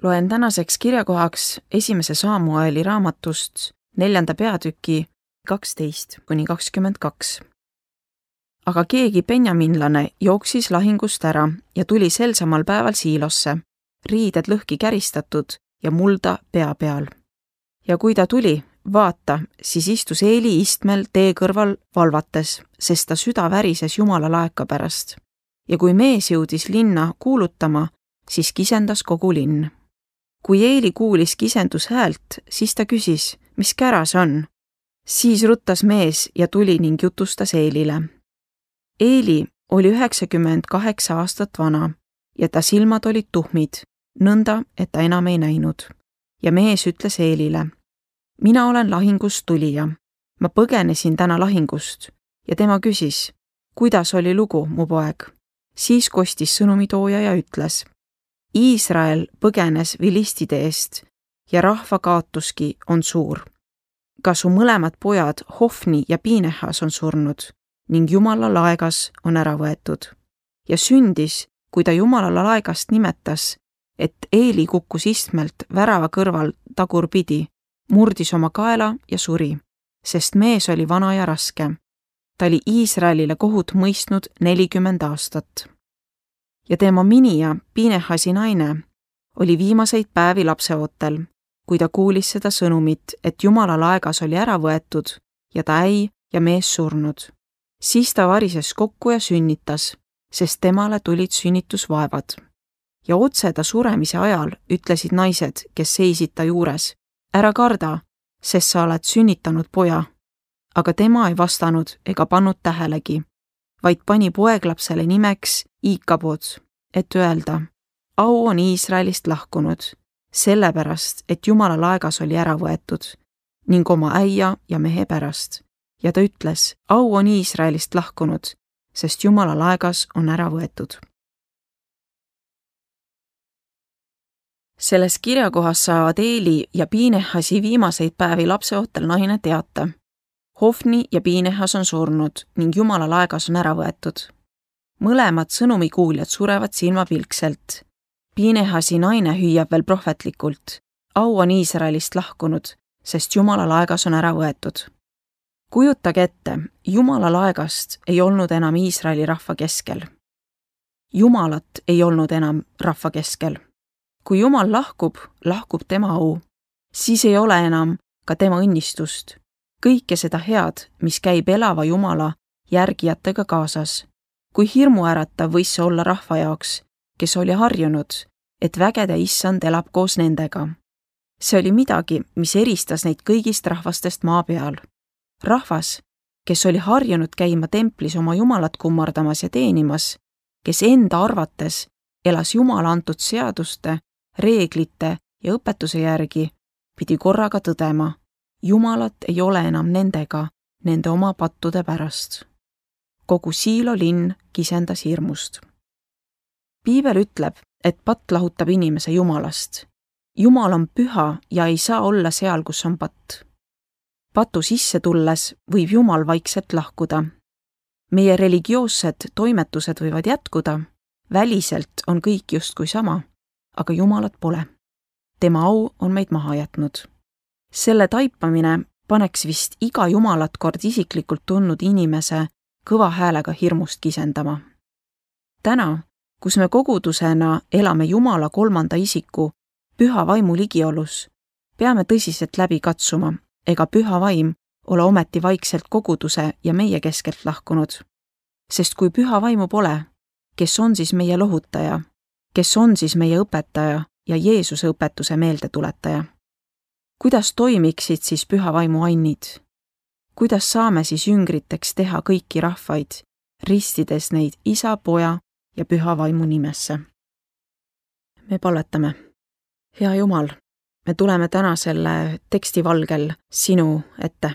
Loen tänaseks kirjakohaks 1. Saamueli raamatust 4. peatüki 12-22. Aga keegi benjaminlane jooksis lahingust ära ja tuli sel samal päeval Siilosse, riided lõhki käristatud ja mulda pea peal. Ja kui ta tuli, vaata, siis istus Eeli istmel tee kõrval valvates, sest ta süda värises Jumala laeka pärast. Ja kui mees jõudis linna kuulutama, siis kisendas kogu linn. Kui Eeli kuulis kisendus häält, siis ta küsis, mis käras on. Siis ruttas mees ja tuli ning jutustas Eelile. Eeli oli 98 aastat vana ja ta silmad olid tuhmid, nõnda, et ta enam ei näinud. Ja mees ütles Eelile, mina olen lahingust tulija. Ma põgenesin täna lahingust ja tema küsis, kuidas oli lugu, mu poeg. Siis kostis sõnumitooja ja ütles, Iisrael põgenes vilistide eest ja rahva kaotuski on suur. Ka su mõlemad pojad Hofni ja Pinehas on surnud ning Jumala laegas on ära võetud. Ja sündis, kui ta Jumala laegast nimetas, et Eeli kukkus istmelt värava kõrval tagurpidi, murdis oma kaela ja suri, sest mees oli vana ja raske. Ta oli Iisraelile kohut mõistnud 40 aastat. Ja tema minija, Pinehasi naine, oli viimaseid päevi lapseootel, kui ta kuulis seda sõnumit, et Jumala laegas oli ära võetud ja ta äi ja mees surnud. Siis ta varises kokku ja sünnitas, sest temale tulid sünnitusvaevad. Ja otse ta suremise ajal ütlesid naised, kes seisid ta juures, ära karda, sest sa oled sünnitanud poja. Aga tema ei vastanud ega pannud tähelegi, vaid pani poeglapsele nimeks Iikabod, et öelda, au on Iisraelist lahkunud, sellepärast, et Jumala laegas oli ära võetud, ning oma äia ja mehe pärast. Ja ta ütles, au on Iisraelist lahkunud, sest Jumala laegas on ära võetud. Selles kirjakohas saavad Eeli ja Pinehasi viimaseid päevi lapseootel naine teata. Hofni ja Pinehas on surnud ning Jumala laegas on ära võetud. Mõlemad sõnumikuuljad surevad silmapilkselt. Pinehasi naine hüüab veel prohvetlikult. Au on Iisraelist lahkunud, sest Jumala laegas on ära võetud. Kujutage ette, Jumala laegast ei olnud enam Iisraeli rahva keskel. Jumalat ei olnud enam rahva keskel. Kui Jumal lahkub, lahkub tema au. Siis ei ole enam ka tema õnnistust. Kõike seda head, mis käib elava Jumala järgijatega kaasas. Kui hirmuäratav võis see olla rahva jaoks, kes oli harjunud, et vägede issand elab koos nendega. See oli midagi, mis eristas neid kõigist rahvastest maa peal. Rahvas, kes oli harjunud käima templis oma Jumalat kummardamas ja teenimas, kes enda arvates elas Jumala antud seaduste, reeglite ja õpetuse järgi, pidi korraga tõdema, Jumalat ei ole enam nendega, nende oma pattude pärast. Kogu Siilo linn kisendas hirmust. Piibel ütleb, et patt lahutab inimese Jumalast. Jumal on püha ja ei saa olla seal, kus on patt. Patu sisse tulles võib Jumal vaikselt lahkuda. Meie religioossed toimetused võivad jätkuda, väliselt on kõik justkui sama, aga Jumalat pole. Tema au on meid maha jätnud. Selle taipamine paneks vist iga Jumalat kord isiklikult tundnud inimese kõva häälega hirmust kisendama. Täna, kus me kogudusena elame Jumala kolmanda isiku püha vaimu ligiolus, peame tõsiselt läbi katsuma, ega püha vaim ole ometi vaikselt koguduse ja meie keskelt lahkunud. Sest kui püha vaimu pole, kes on siis meie lohutaja, kes on siis meie õpetaja ja Jeesuse õpetuse meeldetuletaja? Kuidas toimiksid siis püha vaimu annid? Kuidas saame siis jüngriteks teha kõiki rahvaid, ristides neid isa, poja ja püha vaimu nimesse? Me palvetame. Hea Jumal, me tuleme täna selle teksti valgel sinu ette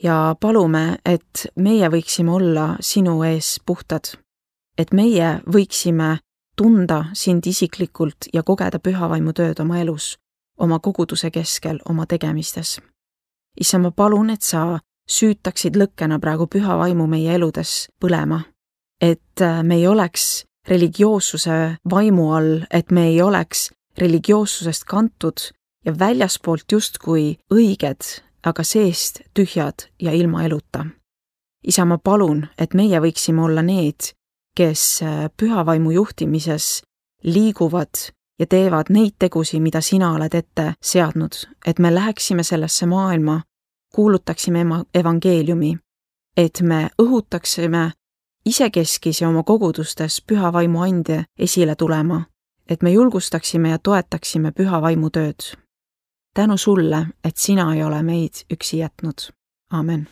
ja palume, et meie võiksime olla sinu ees puhtad, et meie võiksime tunda sind isiklikult ja kogeda püha vaimu tööd oma elus, oma koguduse keskel, oma tegemistes. Issa, ma palun, et sa süütaksid lõkkena praegu püha vaimu meie eludes põlema, et me ei oleks religioossuse vaimu all, et me ei oleks religioossusest kantud ja väljaspoolt justkui õiged, aga seest tühjad ja ilma eluta. Isa, ma palun, et meie võiksime olla need, kes pühavaimu juhtimises liiguvad ja teevad neid tegusi, mida sina oled ette seadnud, et me läheksime sellesse maailma, kuulutaksime evangeeliumi, et me õhutaksime isekeskis ja oma kogudustes pühavaimu ande esile tulema, et me julgustaksime ja toetaksime pühavaimu tööd. Tänu sulle, et sina ei ole meid üksi jätnud. Amen.